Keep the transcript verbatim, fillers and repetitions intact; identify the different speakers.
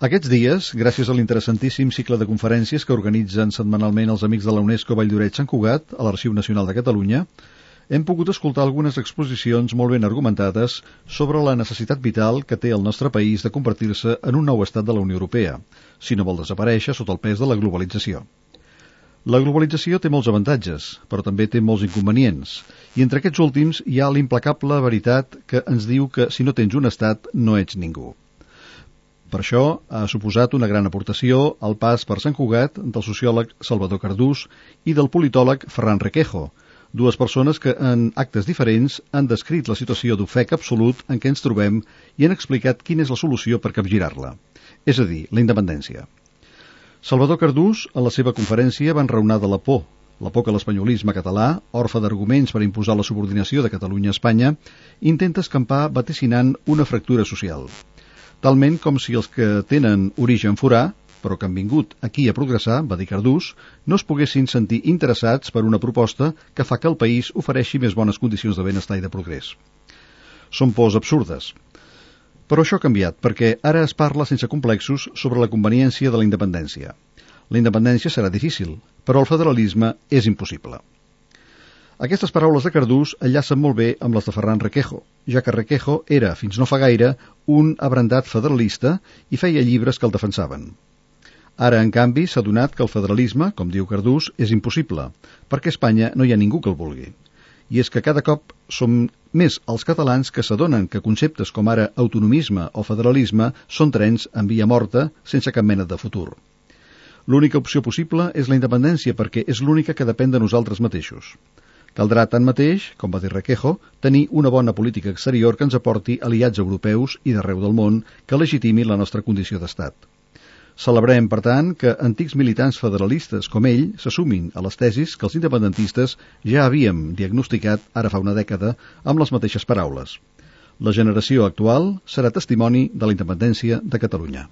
Speaker 1: Aquests dies, gràcies a l'interessantíssim cicle de conferències que organitzen setmanalment els amics de la UNESCO Valldoreix Sant Cugat a l'Arxiu Nacional de Catalunya, hem pogut escoltar algunes exposicions molt ben argumentades sobre la necessitat vital que té el nostre país de convertir-se en un nou estat de la Unió Europea, si no vol desaparèixer sota el pes de la globalització. La globalització té molts avantatges, però també té molts inconvenients, i entre aquests últims hi ha l'implacable veritat que ens diu que si no tens un estat no ets ningú. Per això ha suposat una gran aportació al pas per Sant Cugat del sociòleg Salvador Cardús i del politòleg Ferran Requejo, dues persones que en actes diferents han descrit la situació d'ofec absolut en què ens trobem i han explicat quina és la solució per capgirar-la, és a dir, la independència. Salvador Cardús, en la seva conferència, va enraonar de la por, la por que l'espanyolisme català, orfe d'arguments per imposar la subordinació de Catalunya a Espanya, intenta escampar vaticinant una fractura social. Talment com si els que tenen origen forà, però que han vingut aquí a progressar, va dir Cardús, no es poguessin sentir interessats per una proposta que fa que el país ofereixi més bones condicions de benestar i de progrés. Són pors absurdes. Però això ha canviat, perquè ara es parla sense complexos sobre la conveniència de la independència. La independència serà difícil, però el federalisme és impossible. Aquestes paraules de Cardús enllacen molt bé amb les de Ferran Requejo, ja que Requejo era, fins no fa gaire, un abrandat federalista i feia llibres que el defensaven. Ara, en canvi, s'ha donat que el federalisme, com diu Cardús, és impossible, perquè a Espanya no hi ha ningú que el vulgui. I és que cada cop som més els catalans que s'adonen que conceptes com ara autonomisme o federalisme són trens en via morta sense cap mena de futur. L'única opció possible és la independència perquè és l'única que depèn de nosaltres mateixos. Caldrà, tanmateix, com va dir Requejo, tenir una bona política exterior que ens aporti aliats europeus i d'arreu del món que legitimi la nostra condició d'estat. Celebrem, per tant, que antics militants federalistes com ell se sumin a les tesis que els independentistes ja havíem diagnosticat ara fa una dècada amb les mateixes paraules. La generació actual serà testimoni de la independència de Catalunya.